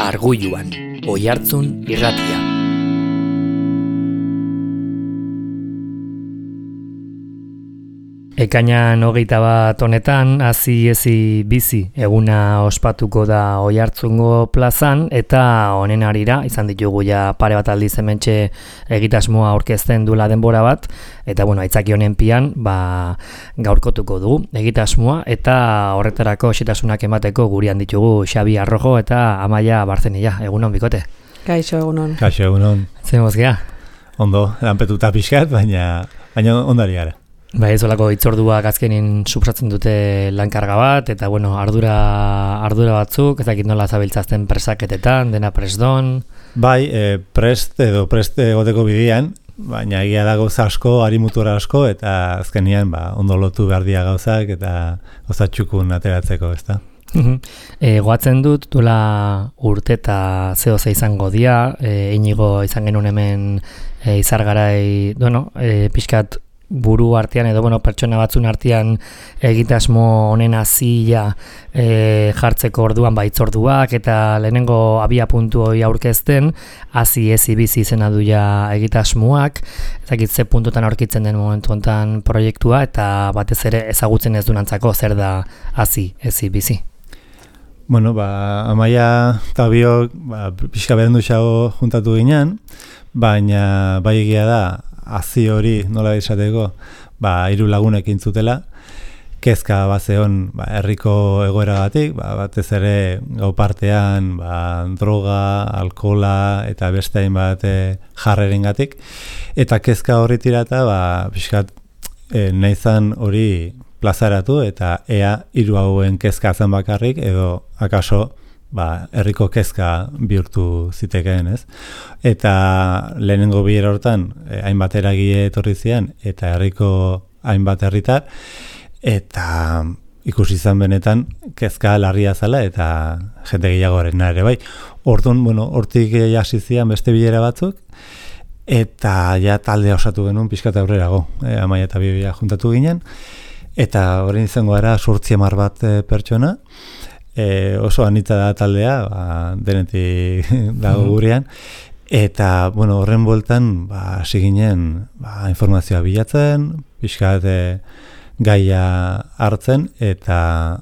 Arguluan, Oihartzun irratia. Ekainan 21 honetan hazi ezi bizi eguna ospatuko da Oihartzungo plazan eta honen harira izan ditugu ja pare bat aldiz hementxe egitasmoa aurkezten duela denbora bat eta aitzaki honen pian gaurkotuko dugu egitasmoa eta horretarako xetasunak emateko gurean ditugu Xabi Arrojo eta Amaia Barzenilla. Egunon bikote. Kaixo egunon. Kaixo egunon. Zer mozgea? Ondo, lanpetuta pixkat, baina ondari gara. Ez olako itzorduak azkenin suposatzen dute lankarga bat, eta ardura batzuk, ez dakit nola zabiltzazten presaketetan, dena presdon. Prest egoteko bidean, baina egia da gauza asko, harimutura asko, eta azkenian ondo lotu behar dia gauzak, eta gauza txukun ateratzeko, ez da? Goatzen dut, duela urte eta zehoze izango dia, Inigo izan genuen hemen izargarai, pixkat, buru artean edo pertsona batzun artean egitasmo honen hazia jartzeko orduan baitzorduak eta lehenengo abia puntu hori aurkezten hazi ezi bizi izena du ja egitasmoak, ezakit ze puntutan aurkitzen den momentu hontan proiektua eta batez ere ezagutzen ez dunantzako zer da hazi ezi bizi. Amaia eta biok pixka berendu xago juntatu ginen, baina bai egia da hazi hori nola izateko, 3 lagunek intzutela, kezka bazeon herriko egoeragatik, batez ere gau partean droga, alkohola eta beste hainbat jarrerengatik, eta kezka horri tirata pixkat nahizan hori plazaratu eta ea 3 hauen kezka zen bakarrik edo akaso herriko kezka bihurtu zitekeen, ez? Eta lehenengo bilera hortan hainbat eragile etorri zian eta herriko hainbat herritar eta ikusi izan benetan kezka larria zela eta jende gehiagoarena ere bai. Orduan, hortik hasi zian beste bilera batzuk eta ja taldea osatu genuen pixkat aurrerago. Amaia eta Bibia juntatu ginen eta orain izango gara 8-10 bat pertsona. Oso anitza da taldea, denetik dago gurean, eta horren bueltan hasi ginen informazioa bilatzen, pixkat gaia hartzen, eta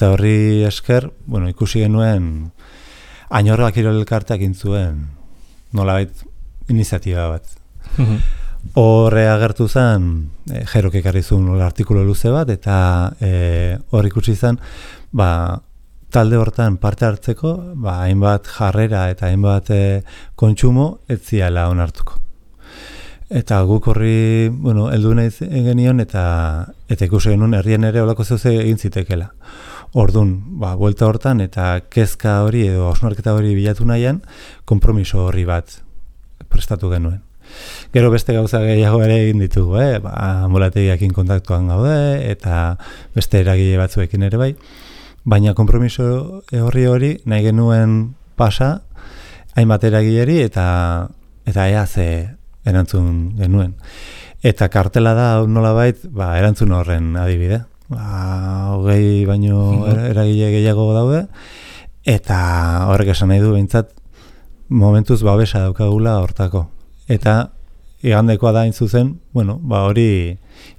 horri esker ikusi genuen Añorga Kirol Elkarteak intzuen nolabait iniziatiba bat. Horre agertu zen, Jerok ekarri zuen artikulu luze bat, eta hor ikusi zen, talde hortan parte hartzeko, hainbat jarrera eta hainbat kontsumo ez ziala onartuko. Eta guk horri, heldu nahi genion eta ikusi genuen herrien ere olako zeuze egin zitekela. Orduan, buelta hortan eta kezka hori edo hausnarketa hori bilatu nahian, konpromiso horri bat prestatu genuen. Gero beste gauza gehiago ere egin ditugu, ambulategiakin kontaktuan gaude eta beste eragile batzuekin ere bai. Baina konpromiso hori nahi genuen pasa hainbat eragileri eta ea ze erantzun genuen. Eta kartela da nolabait erantzun horren adibide. 20 baino eragile gehiago daude eta horrek esan nahi du behintzat momentuz babesa daukagula hortako. Eta igandekoa da hain zuzen, hori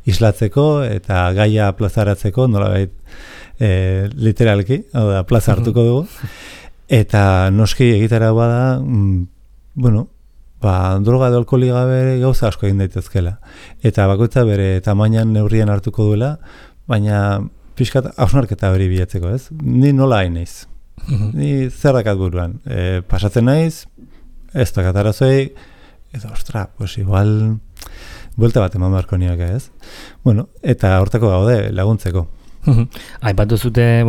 islatzeko eta gaia plazaratzeko nolabait literalki, plaza hartuko dugu, eta noski egitara bada, droga edo alkoholi gabe gauza asko egin daitezkela. Eta bakoitza bere tamainan neurrien hartuko duela, baina pixkat hausnarketa hori bilatzeko, ez? Ni nola hain naiz. Ni zer dakat buruan. Pasatzen naiz, ez dakat arazoi, edo igual buelta bat eman beharko nioke, ez? Eta hortako gaude laguntzeko. Aipatu zute,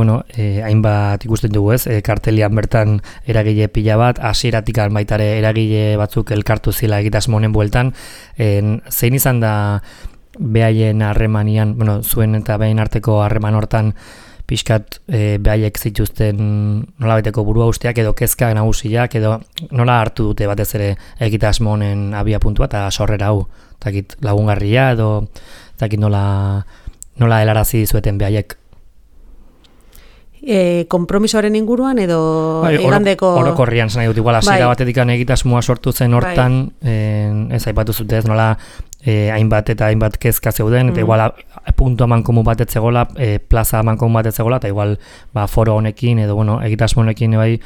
hainbat ikusten dugu ez, kartelian bertan eragile pila bat, hasieratik baitare eragile batzuk elkartu zila egitasmo honen bueltan, zein izan da behaien harremanian, zuen eta behaien arteko harreman hortan pixkat behaiek zituzten nolabaiteko burua usteak edo kezka nagusiak edo nola hartu dute batez ere egitasmo honen abia puntua eta sorrera hau, takit lagungarria edo takit nola helarazi zueten behaiek? konpromisoaren inguruan edo igandeko... Orokorrian zen nahi dut, igual hasiera batetik egitasmoa sortu zen hortan, ez aipatu zute ez nola hainbat eta hainbat kezka zeuden, eta igual puntu amankomun bat etzegola, plaza amankomun bat etzegola, eta igual foro honekin edo egitasmo honekin bai,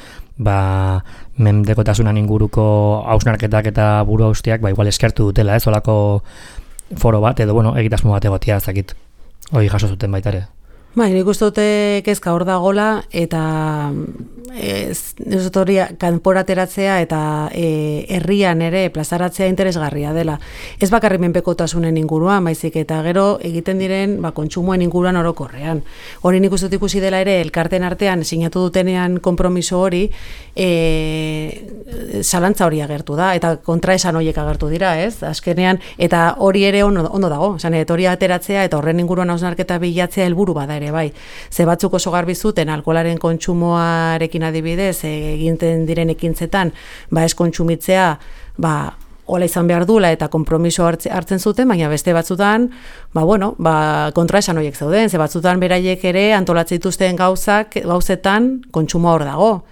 mendekotasunan inguruko hausnarketak eta buru haustiak igual eskertu dutela, ez olako foro bat edo egitasmo bat egotia ezakit hori jaso zuten baita ere. Nik uste dute kezka hor dagola eta ez dut hori kanporateratzea eta herrian ere plazaratzea interesgarria dela. Ez bakarrik menpekotasunen inguruan, baizik eta gero egiten diren kontsumoen inguruan orokorrean. Hori nik uste dut ikusi dela ere elkarten artean sinatu dutenean konpromiso hori zalantza hori agertu da eta kontraesan horiek agertu dira, ez? Azkenean eta hori ere ondo dago, hori ateratzea eta horren inguruan hausnarketa bilatzea helburu bada ere bai. Ze batzuk oso garbi zuten alkoholaren kontsumoarekin adibidez egiten diren ekintzetan ez kontsumitzea hola izan behar dula eta konpromiso hartzen zuten, baina beste batzutan kontraesan horiek zeuden, ze batzutan beraiek ere antolatzen dituzten gauzetan kontsumoa hor dago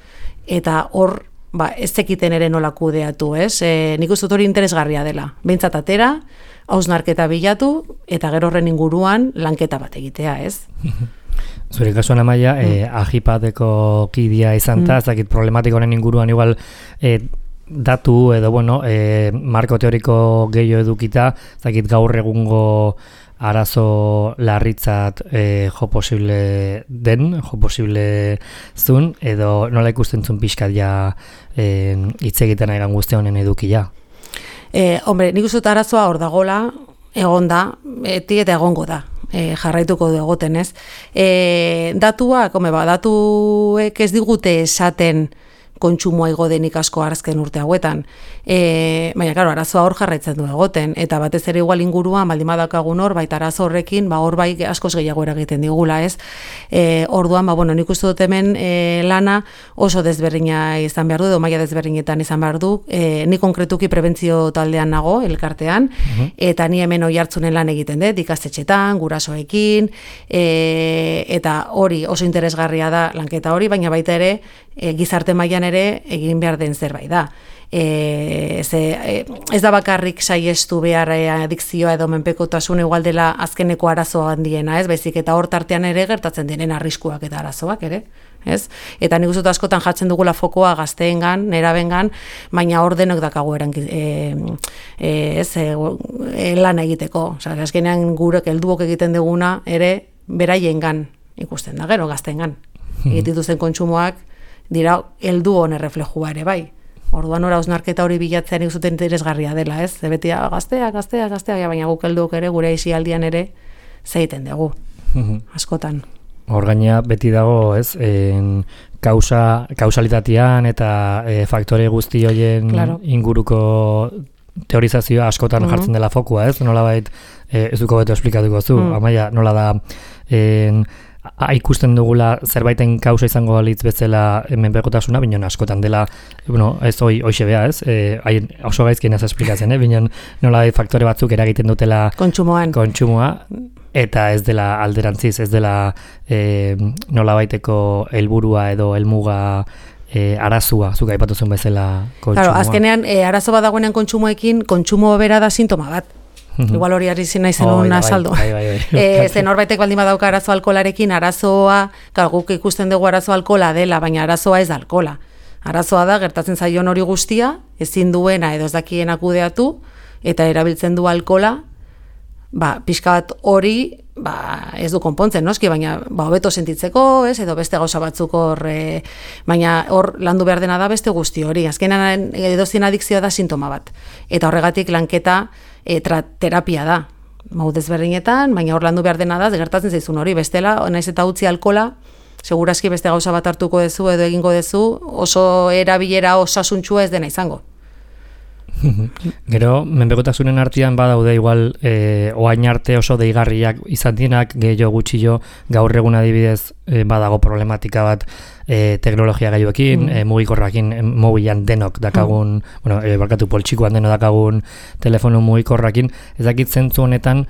eta hor ez zekiten ere nola kudeatu, ez? Nik uste dut hori interesgarria dela. Behintzat atera, hausnarketa bilatu eta gero horren inguruan lanketa bat egitea, ez? Zure kasuan Amaia, ajipadeko kidea izan ez dakit problematiko honen inguruan igual datu edo marko teoriko gehiago edukita, ez dakit gaur egungo arazo larritzat jo posible zun, edo nola ikusten zun pixkat ja hitz egiten egan guzti honen edukia? Hombre, nik uste dut arazoa hor dagola, egon da, beti eta egongo da. Jarraituko du egoten, ez? Datuak ez digute esaten kontsumoa igo denik asko azken urte hauetan. Baina, claro, arazoa hor jarraitzen du egoten, eta batez ere igual inguruan baldin badakagun hor, baita arazo horrekin, hor bai askoz gehiago eragiten digula, ez? Orduan, nik uste dut hemen lana oso desberdina izan behar du, edo maila desberdinetan izan behar du. Ni konkretuki prebentzio taldean nago, elkartean, eta ni hemen oihartzunen lan egiten dut, ikastetxetan, gurasoekin, eta hori oso interesgarria da lanketa hori, baina baita ere, gizarte mailan ere egin behar den zerbait da. Ez da bakarrik saiestu behar adikzioa edo menpekotasun igual dela azkeneko arazoa handiena, ez? Baizik eta hor tartean ere gertatzen diren arriskuak eta arazoak ere, ez? Eta nik uste dut askotan jartzen dugula fokoa gazteengan, nerabengan, baina hor denok dakago lan egiteko. Osea, azkenean gurek helduok egiten duguna ere beraiengan ikusten da, gero gazteengan. Egitituzten kontsumoak dira heldu honen reflejua ere bai. Orduan ora hausnarketa hori bilatzean ikusten interesgarria dela, ez? Beti gaztea, baina guk helduok ere gure aisialdian ere zeiten dugu. Askotan. Hor gaina beti dago, ez? Kausalitatean eta faktore guzti horien inguruko teorizazioa askotan jartzen dela fokua, ez? Nolabait ez duko beto esplikatuko zu, Amaia, nola da ikusten dugula zerbaiten kausa izango balitz bezala menpekotasuna, binon askotan dela, ez hoxe bea, ez? Oso gaizkien ez esplikatzen, binon nola faktore batzuk eragiten dutela kontsumoa, eta ez dela alderantziz, ez dela nolabaiteko helburua edo helmuga arazua, zuk aipatu zuen bezala kontsumoa. Claro, azkenean arazo bat dagoenean kontsumoekin, kontsumo bera da sintoma bat. Igual hori arizi nahi zen un asaldo. Zen horbaitek baldin badauka arazo alkolarekin, arazoa, guk ikusten dugu arazo alkola dela, baina arazoa ez da alkola. Arazoa da, gertatzen zaion hori guztia, ezin duena edo ez dakien kudeatu, eta erabiltzen du alkola, pixka bat hori ez du konpontzen, noski, baina hobeto sentitzeko, ez, edo beste gauza batzuk hor, baina hor landu behar dena da beste guzti hori. Azkenan edozien adikzioa da sintoma bat. Eta horregatik lanketa terapia da. Desberdinetan, baina hor landu behar dena da, gertatzen zaizun hori, bestela, naiz eta utzi alkola, segurazki beste gauza bat hartuko dezu edo egingo dezu, oso erabilera osasuntxua ez dena izango. Gero, menpekotasunen artean badaude igual oain arte oso deigarriak izan dienak, gehiago gutxillo gaur egun adibidez badago problematika bat teknologia gaiuekin, mugikorrakin, mobilan denok dakagun, barkatu poltsikoan denok dakagun telefono mugikorrakin, ez dakit zentzu honetan,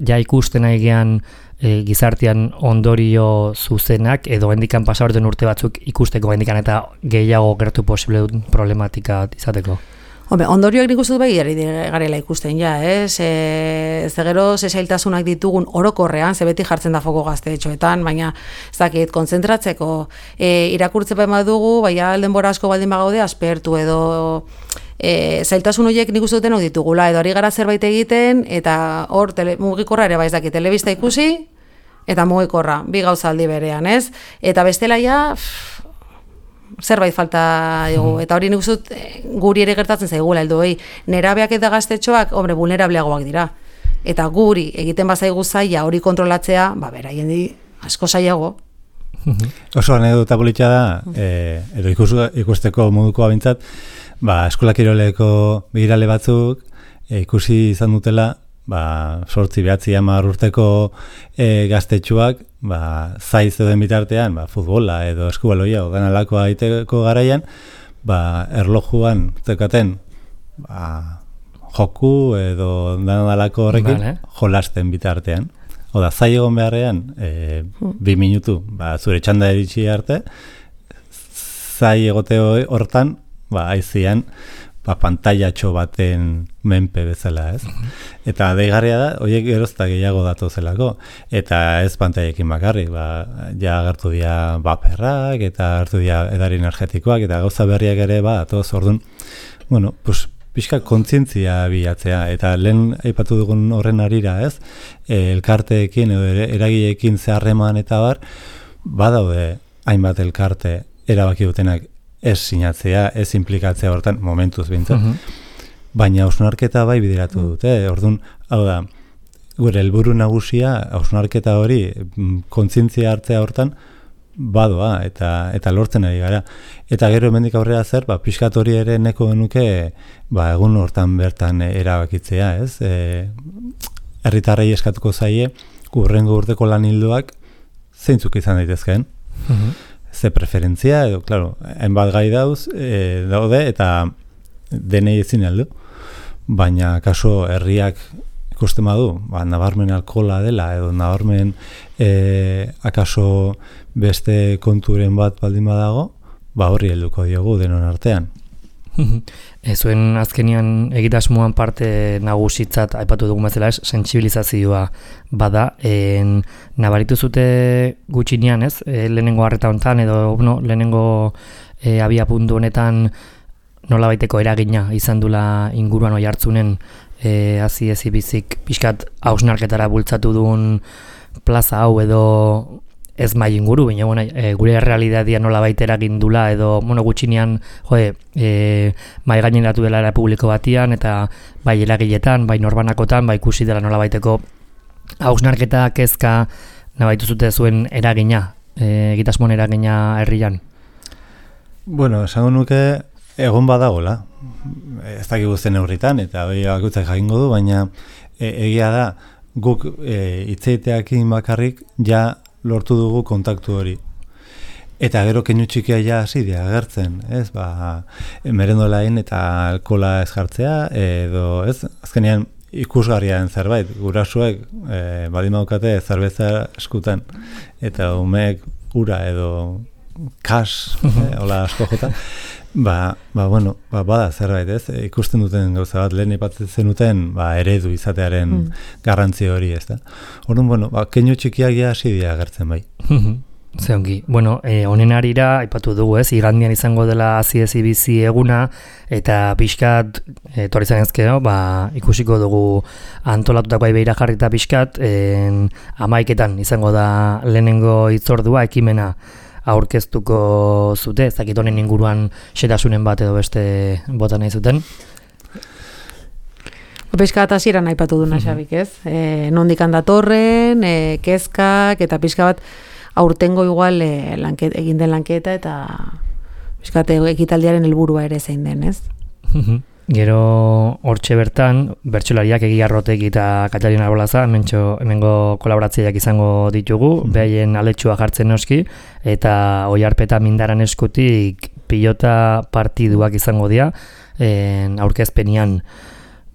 ja ikusten aigean gizartean ondorio zuzenak, edo gendikan pasaborten urte batzuk ikusteko gendikan eta gehiago gertu posible dut problematika izateko. Ondorioak nik uste dut bai garela ikusten, gero zailtasunak ditugun orokorrean, ze beti jartzen da foko gaztetxoetan, baina ez dakit, kontzentratzeko, irakurtze badugu, baina denbora asko baldin bagaude, aspertu edo zailtasun horiek nik uste duten ditugula, edo ari gara zerbait egiten, eta hor mugikorra ere bai ez dakit, telebista ikusi, eta mugikorra, bi gauza aldi berean, ez? Eta bestela zerbait falta dugu, eta hori nik uste guri ere gertatzen zaigula, nerabeak eta gaztetxoak, vulnerableagoak dira. Eta guri egiten bazaigu zaila hori kontrolatzea, beraien asko zailago. Oso anekdota politxa da, edo ikusteko moduko abintzat, eskola kiroleko begirale batzuk ikusi izan dutela, 8-9 urteko gaztetxoak, zai zeuden bitartean, futbola edo eskubaloia o danalakoa egiteko garaian, erlojuan zeukaten joku edo danalako horrekin jolasten bitartean. Oda, zai egon beharrean, 2 minutu, zure txanda eritxi arte, zai egote hortan, aizian, pantailatxo baten menpe bezala, ez? Eta deigarria da, horiek gerozta gehiago datozelako, eta ez pantailekin bakarrik, ja agertu dira baperrak, eta agertu dira edari energetikoak, eta gauza berriak ere, datoz, orduan, pixka kontzientzia bilatzea, eta lehen aipatu dugun horren arira, ez? Elkarteekin edo eragileekin zeharreman eta badaude hainbat elkarte erabaki dutenak ez sinatzea, ez implikatzea hortan, momentuz bintzat. Baina hausnarketa bai bideratu dute. Orduan, hau da, gure helburu nagusia, hausnarketa hori, kontzientzia hartzea hortan, badoa, eta lortzen ari gara. Eta gero hemendik aurrera zer, pixkat hori ere neko genuke, egun hortan bertan erabakitzea, ez? Herritarrei eskatuko zaie, hurrengo urteko lan hildoak, zeintzuk izan daitezkeen. Ze preferentzia, edo, klaro, hainbat gai daude, eta denei ezin heldu. Baina, kaso, herriak ikusten badu, nabarmen alkohola dela, edo nabarmen akaso beste konturen bat baldin badago, horri helduko diogu denon artean. Zuen azkenian egitasmoan parte nagusitzat aipatu dugun bezala sentsibilizazioa bada, nabaritu zute gutxinean, ez? Lehenengo harreta honetan edo lehenengo abiapuntu honetan nolabaiteko eragina izan dula inguruan oi hartzunen hazi bizik pixkat hausnarketara bultzatu duen plaza hau edo ez mai inguru, baina gure realitatea nolabait eragin dula edo gutxinean mai gaineratu dela era publiko batian eta bai eragiletan, bai norbanakotan, bai ikusi dela nolabaiteko hausnarketa kezka nabaitu zute zuen eragina, egitasmoen eragina herrian. Esango nuke egon badagola. Ez dakigu zen neurritan eta hori bakutzak jakingo du, baina egia da guk hitzeiteakin bakarrik ja lortu dugu kontaktu hori. Eta gero keinu txikia ja hasi dira agertzen, ez? Merendolain eta alkohola ez jartzea, edo ez? Azkenean ikusgarriaren zerbait, gurasuek baldin badukate zerbeza eskutan, eta umeek ura edo kas, hola asko jota, bada zerbait, ez? Ikusten duten gauza bat, lehen ipatzen zenuten, eredu izatearen garrantzi hori, ez da? Orduan, keinu txikiak ja hasi dira agertzen bai. Ze ongi. Honen arira, aipatu dugu, ez? Igandian izango dela hazi bizi eguna, eta pixkat, etorri zanezkeo, ikusiko dugu antolatutako beira jarrita pixkat, 11 izango da lehenengo hitzordua, ekimena aurkeztuko zute, ez dakit honen inguruan xetasunen bat edo beste bota nahi zuten. Pixka bat hasieran aipatu duna Xabik, ez? Nondik datorren, kezkak, eta pixka bat aurtengo igual egin den lanketa, eta pixka bat ekitaldiaren helburua ere zein den, ez? Gero hortxe bertan, bertsolariak Egi Arrotek eta Katarina Arbolaza, hemengo kolaboratzaileak izango ditugu, behaien aletxua jartzen noski, eta Oiarpeta Mindaran eskutik pilota partiduak izango dira, aurkezpenian.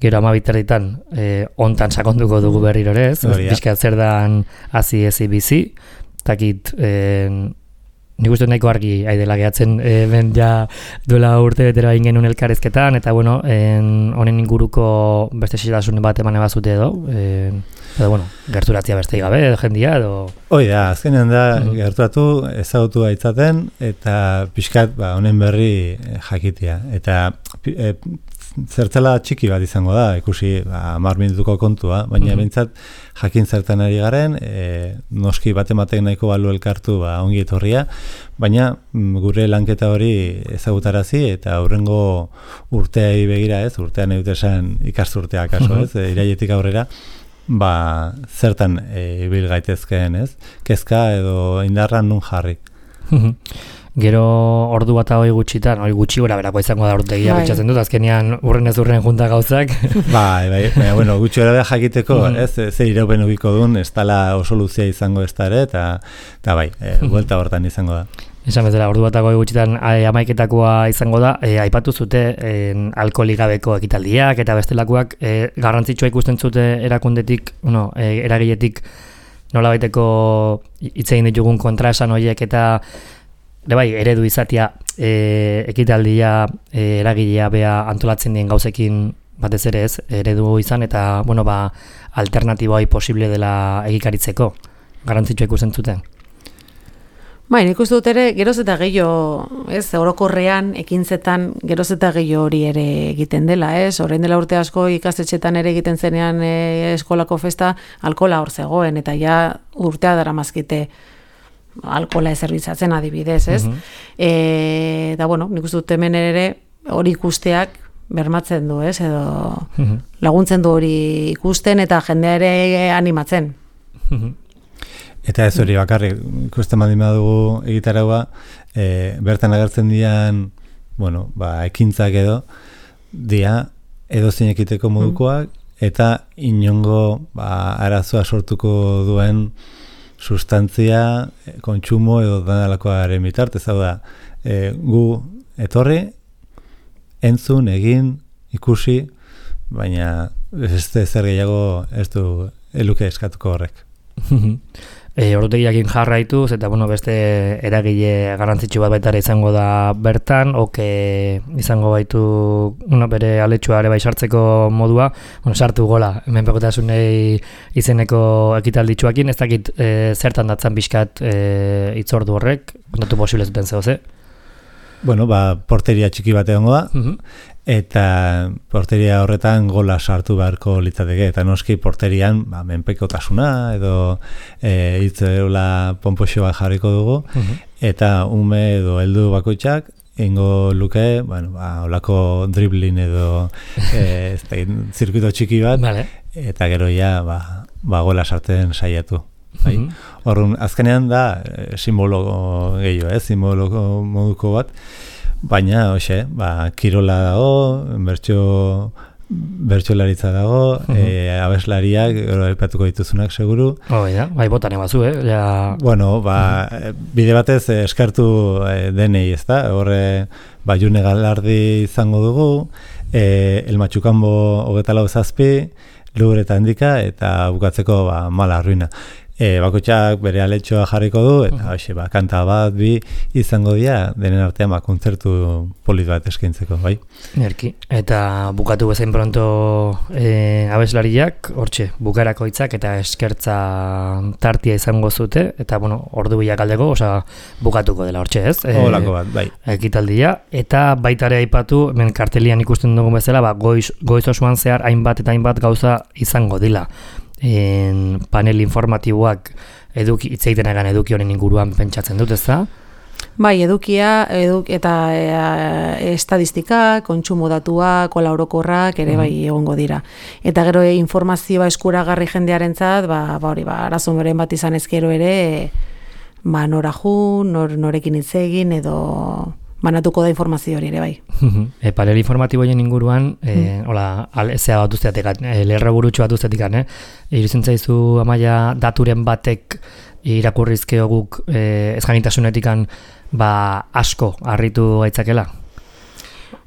Gero 12:00 hontan sakonduko dugu berriro ere, ez? Pixka zer dan hazi ezi bizi, takit nik uste nahiko argi aidela gehatzen ben ja duela urte betera egin genuen elkarrezketan, eta bueno, honen inguruko beste xetasun bat eman ebazute edo bueno, gerturatzia beste gabe, jendia edo... Hoi da, azkenean da, gerturatu ezagutu gaitzaten, eta pixkat honen berri jakitia. Eta zertzela txiki bat izango da, ikusi 10 minutuko kontua, baina behintzat jakin zertan ari garen, noski batematek nahiko balu elkartu ongi etorria, baina gure lanketa hori ezagutarazi eta aurrengo urteai begira ez, urtean esan ikasturtea kaso ez, irailetik aurrera, zertan ibil gaitezkeen ez, kezka edo indarran nun jarri. Gero ordu bat hori gutxitan, hori gutxi gora berako izango da urtegia betxatzen dut, azkenean urren ez urren junta gauzak. Bai, bueno, gutxi gora jakiteko, ez, ze iraupen ubiko duen, ez tala oso luzia izango ez da ere, eta bai, buelta hortan izango da. Esan bezala, ordu bat hori gutxitan amaiketakoa izango da, aipatu zute alkoholik gabeko ekitaldiak eta bestelakoak garrantzitsua ikusten zute erakundetik, eragiletik nola baiteko hitzein ditugun kontraesan horiek eta bai, eredu izatea ekitaldia eragilea bea antolatzen dien gauzekin batez ere ez, eredu izan eta bueno, alternatiboa posible dela egikaritzeko garrantzitsua ikusten zuten. Bai, nik uste dut ere, geroz eta gehiago, ez, orokorrean, ekintzetan, geroz eta gehiago hori ere egiten dela, ez, orain dela urte asko ikastetxetan ere egiten zenean eskolako festa, alkohola hor zegoen, eta ja urtea daramazkite alkohola zerbitzatzen adibidez, ez? Da, bueno, nik uste dut hemen ere hori ikusteak bermatzen du, ez, edo laguntzen du hori ikusten eta jendea ere animatzen. Eta ez hori bakarrik, ikusten badin badugu egitaraua, bertan agertzen dian, bueno, ekintzak edo, dia edozein ekiteko modukoak, eta inongo arazoa sortuko duen sustantzia, kontsumo edo danalakoaren bitartez, hau da, gu etorri, entzun, egin, ikusi, baina ez zer gehiago ez du eluke eskatuko horrek. Ordutegiakin jarraituz eta bueno, beste eragile garrantzitsu bat baitara izango da bertan, izango baitu bere aletxua ere bai sartzeko modua, sartu gola, menpekotasunei izeneko ekitalditxuakin, ez dakit zertan datzan pixkat hitzordu horrek, kontatu posible zuten zehoz, Bueno, porteria txiki bat egongo da, eta porteria horretan gola sartu beharko litzateke, eta noski porterian menpekotasuna edo hitzeula ponpoxoa jarriko dugu, eta ume edo heldu bakoitzak ingo luke, olako dribbling edo zirkuito txiki bat, eta gero ja gola sartzen saiatu. Horren, azkenean da simbolo gehiago, simbolo moduko bat, baina, kirola dago, bertsolaritza dago, abeslariak, aipatuko dituzunak seguru. Bai, botan ebazu, Bueno, bide batez eskartu denei, ez da? Horre, June Galardi izango dugu, El Matxukambo 24 Lureta handika, eta bukatzeko Mala Ruina. Bakoitzak bere aletxoa jarriko du, eta kanta bat, bi izango dira, denen artean kontzertu polit bat eskaintzeko, bai? Nerki. Eta bukatu bezain pronto abeslariak, hortxe, bukarako hitzak eta eskertza tartia izango zute, eta, ordu bilak aldeko, bukatuko dela hortxe, ez? Olako bat, bai. Ekitaldia, eta baitare aipatu, hemen kartelian ikusten dugun bezala, goiz osoan zehar hainbat eta hainbat gauza izango dila. Panel informatiboak hitzeiten egan eduki honen inguruan pentsatzen dut, ez da? Bai, edukia eta estadistika, kontsumo datua, kola orokorrak ere bai egongo dira. Eta gero informazioa eskuragarri jendearentzat, arazo noren bat izan ezkero ere, nora jun, norekin hitz egin edo banatuko da informazio hori ere bai. Panel informatiboen inguruan, hola, zea bat usteatik, lerro burutxo bat usteatik, iruditzen zaizu Amaia daturen batek irakurrizkeo guk ez jakintasunetik asko harritu gaitzakela?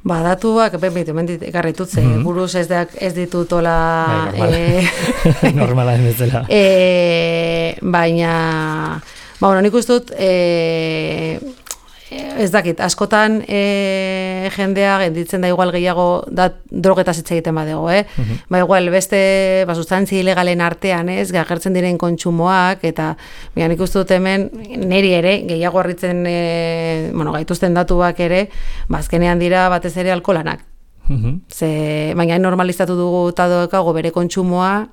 Datuak, mentit ekarritut, buruz ez ditut ola... Normala den bezala. Baina, nik uste dut, ez dakit, askotan jendea genditzen da igual gehiago drogetaz hitz egiten badego, igual beste sustantzi ilegalen artean, gertzen diren kontsumoak, eta nik uste dut hemen niri ere, gehiago harritzen gaituzten datuak ere, azkenean dira batez ere alkolanak. Baina normalizatu dugu eta doekago bere kontsumoa,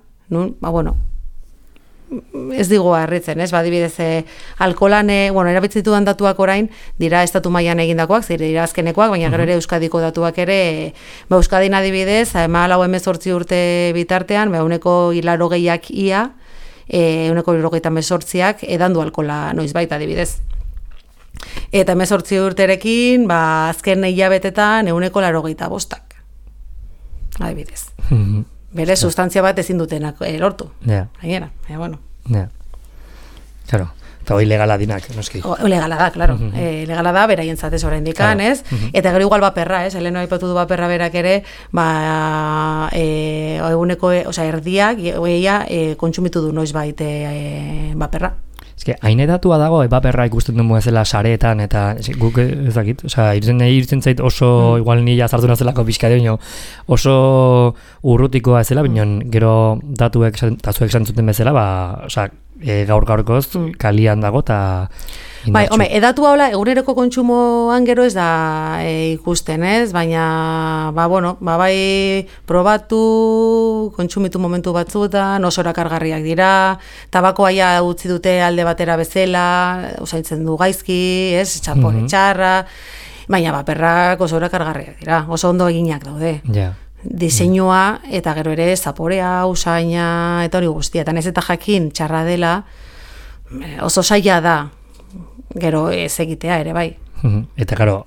ez digu harritzen, badibidez alkolan, erabitzitudan datuak orain, dira estatu mailan egindakoak, dira azkenekoak, baina gero ere Euskadiko datuak ere, Euskadin adibidez, 14 urte bitartean, 180ak ia, 178ak edandu alkola noizbait adibidez. Eta 18 urterekin, azken hilabetetan 185ak, adibidez. Bere sustantzia bat ezin dutenak lortu. Gainera, bueno. Claro, eta hori legala dinak, noski. Legala da, claro. Legala da, beraien zatez orain dikan, ez? Eta gero igual baperra, ez? Heleno aipatu du baperra berak ere, eguneko, erdiak, kontsumitu du noizbait baperra. Hain edatua dago, baperra ikusten dugu ezela sareetan, eta guk ez dakit, irutzen zait oso, igual nila zartu nazelako pixka de, oso urrutikoa ezela, bineon gero datuek esan zuten bezala, gaur-gaurkoz kalian dago, eta indartxu. Edatua hola, eguneroko kontsumoan gero ez da ikusten, ez? Baina, bai probatu, kontsumitu momentu batzuetan, oso erakargarriak dira, tabakoa utzi dute alde batera bezala, usaintzen du gaizki, ez? Txapore txarra, baina baperrak oso erakargarriak dira, oso ondo eginak daude. Diseinua, eta gero ere zaporea, usaina, eta hori guztia, eta ez eta jakin txarra dela, oso saia da, gero ez egitea ere bai. Eta gero,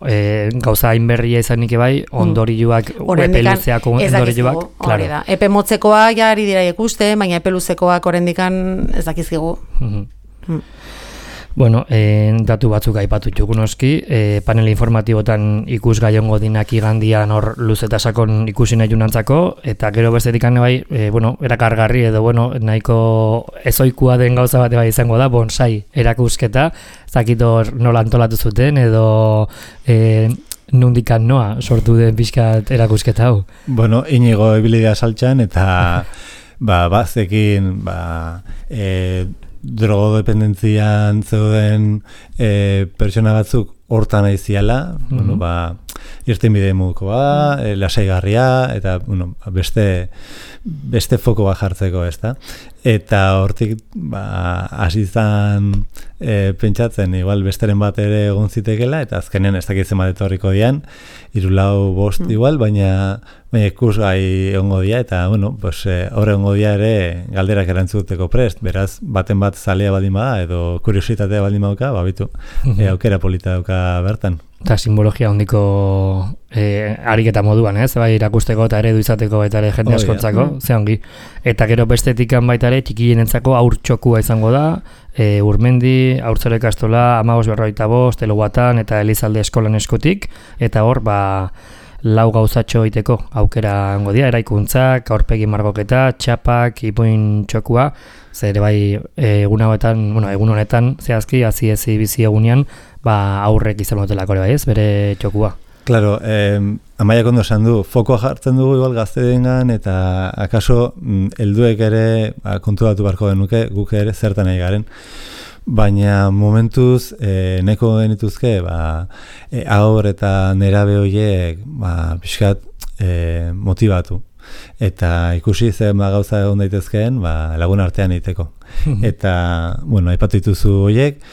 gauza hainberria izanik bai, ondorioak, epe luzeako ondorioak, hori da. Epe motzekoa jari dira ikuste, baina epe luzekoak orendikan ez dakizkigu. Bueno, datu batzuk aipatu txukun oski, panel informatibotan ikusgai ongo dinak igandian hor luz eta sakon ikusi nahi junantzako, eta gero bestetik bai, erakargarri edo, nahiko ezoikua den gauza bate bai izango da, bonsai erakusketa, zakito nola antolatu zuten, edo nundikan noa sortu den pixkat erakusketa hau. Inigo ebilidea saltxan, eta bazekin, drogodependentzian zeuden pertsona batzuk hortan aiziala, irtenbide modukoa, lasaigarria, eta beste foko bat jartzeko, ezta? Eta hortik hasi izan pentsatzen, igual besteren bat ere egon zitekela, eta azkenean ez dakitzen bat etorriko dian, 3-4-5 igual, baina ikusgai egongo dia, eta horre egongo dia ere galderak erantzuteko prest, beraz, baten bat zalea baldin bada, edo kuriositatea baldin baduka, bitu, aukera polita dauka bertan. Eta simbologia hondiko ariketa moduan, bai irakusteko eta eredu izateko eta ere jende askontzako, ze ongi. Eta gero bestetikan baita ere txikienentzako haurtxokua izango da, Urmendi, Haurtzaro ikastola, 15:45, Eloguatan eta Elizalde eskolan eskutik, eta hor, lau gauzatxo iteko aukera hango dira, eraikuntzak, aurpegi margoketa, txapak, ipuin txokua, zer bai egun honetan, zehazki, hazi bizi egunean, aurrek izan motelako bai ez, bere txokua. Claro, Amaiak ondo esan du, fokoa jartzen dugu igual gazteengan, eta akaso helduek ere konturatu beharko genuke, guk ere zertan nahi garen. Baina momentuz nahiko genituzke haur eta nerabe horiek pixkat motivatu. Eta ikusi zen gauza egon daitezkeen lagun artean egiteko. Eta, aipatu dituzu horiek,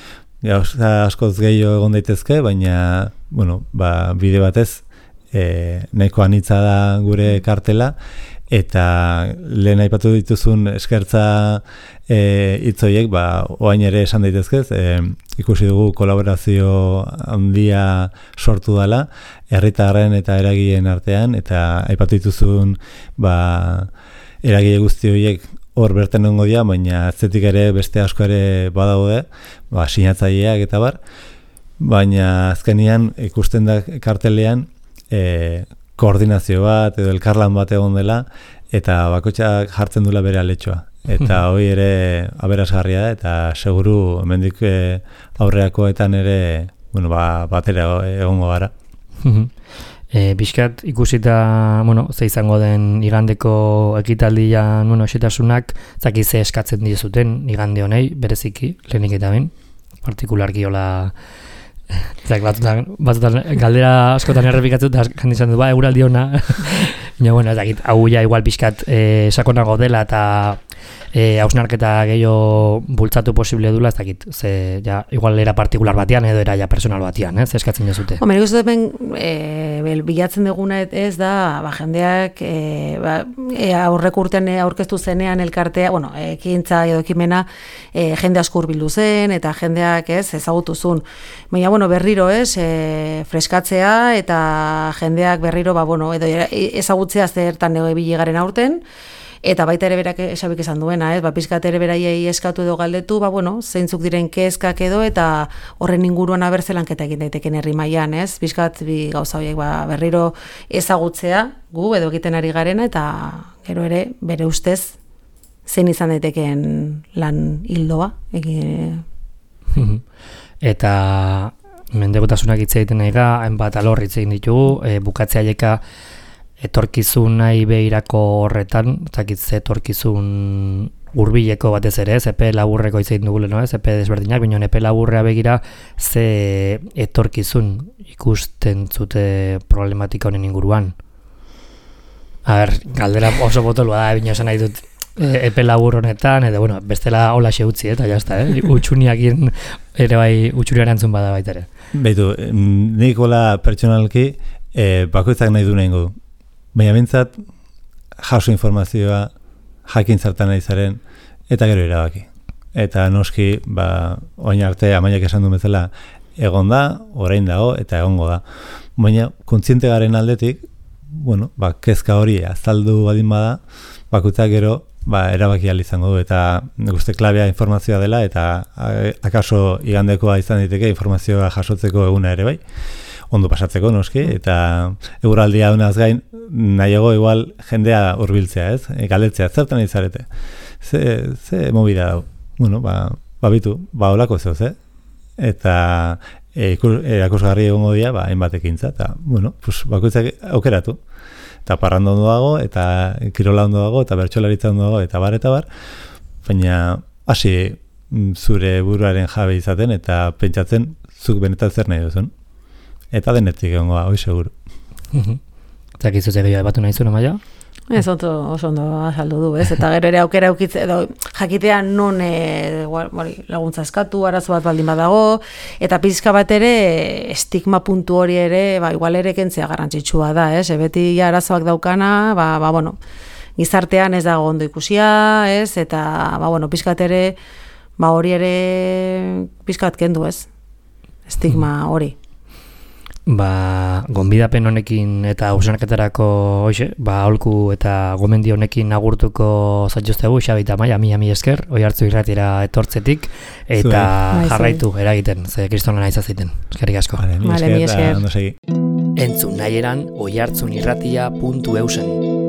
gauza askoz gehiago egon daitezke, baina bide batez nahiko anitza da gure kartela, eta lehen aipatu dituzun eskertza hitzoiek, oain ere esan daitezkez, ikusi dugu kolaborazio handia sortu dela, herritarren eta eragileen artean, eta aipatu dituzun eragile guzti horiek hor bertan egongo dira, baina atzetik ere beste asko ere badaude, sinatzaileak eta bar, baina azkenean ikusten da kartelean koordinazio bat edo elkarlan bat egon dela, eta bakoitzak jartzen dula bere aletxoa. Eta hori ere aberasgarria da, eta seguru hemendik aurreakoetan ere batera egongo gara. Bizkat ikusita, ze izango den igandeko ekitaldian, esetasunak, zaki ze eskatzen dizuten igande honei, bereziki, lehenik eta ben, partikularki hola, batzutan galdera askotan errepikatzen da jandizan du, euraldi hona, hau ja igual bizkat sakonago dela eta hausnarketa gehiago bultzatu posible dula, ez dakit, igual era partikular batean edo era ja personal batean, ez eskatzen jazute. Nik uste bilatzen duguna ez da, jendeak aurreko urtean aurkeztu zenean elkartea, ekintza edo ekimena jende asko hurbildu zen, eta jendeak ezagutu zuen. Baina, berriro freskatzea eta jendeak berriro edo ezagutzea zertan ebili garen aurten, eta baita ere berak esabik esan duena, pizkat ere beraiei eskatu edo galdetu, zeintzuk diren kezkak edo, eta horren inguruan abertzelanketa egin daiteken herri mailan, pizkat bi gauza horiek berriro ezagutzea gu edo egiten ari garena, eta gero ere bere ustez zein izan daiteken lan hildoa. Eta mendekotasunak hitz egiten nahi ga, hainbat alor hitz egin ditugu, bukatzea jeka etorkizun nahi behirako horretan, zakitze etorkizun hurbileko batez ere, epe laburreko hitz egin dugu leno, epe desberdinak, baina epe laburrea begira ze etorkizun ikusten zute problematika honen inguruan. Galdera oso botolua da, baina esan nahi dut epe labur honetan, edo bestela hola utzi, eta jazta, utxuniakien ere bai utxuria erantzun bada baita ere. Beitu, nik hola pertsonalki bakoitzak nahi du nahi du. Baina bintzat, jaso informazioa, jakin zertan nahi zaren, eta gero erabaki. Eta noski, oin arte, amaiak esan du bezala, egon da, orain dago, eta egongo da. Baina, kontziente garen aldetik, kezka hori azaldu badin bada, bakoitzak gero, erabaki ahal izango du, eta guzti klabea informazioa dela, eta akaso igandekoa izan diteke informazioa jasotzeko eguna ere bai, ondo pasatzeko noski, eta eguraldia honaz gain, nahiago igual jendea hurbiltzea, galdetzea, zertan izarete. Ze mobida dau. Bitu, holako zehoz, eta erakusgarri egongo dira, hainbat ekintza, eta, bakoitzak aukeratu. Eta parranda ondo dago, eta kirola ondo dago, eta bertsolaritza ondo dago, eta bar, baina hasi zure buruaren jabe izaten, eta pentsatzen zuk benetan zer nahi duzun. Eta denetik egongo hoi seguru. Eta gizute gehiago batu nahi zuen, Amaia? Ez oso ondo azaldu du, eta gero ere aukera aukitze, edo jakitea non laguntza eskatu, arazo bat baldin badago, eta pizka bat ere estigma puntu hori ere, igual ere kentzea garrantzitsua da, beti arazoak daukana, gizartean ez dago ondo ikusia, eta pizkat ere, hori ere pizkat kendu, estigma hori. Gonbidapen honekin eta hausnarketarako aholku eta gomendio honekin agurtuko zaituztegu, Xabi eta Amaia, mi esker, Oihartzun irratira etortzetik, eta jarraitu eragiten, ze kristona nahi zaziten. Eskerrik asko. Mi esker. Entzun nahi eran oihartzunirratia.eusen.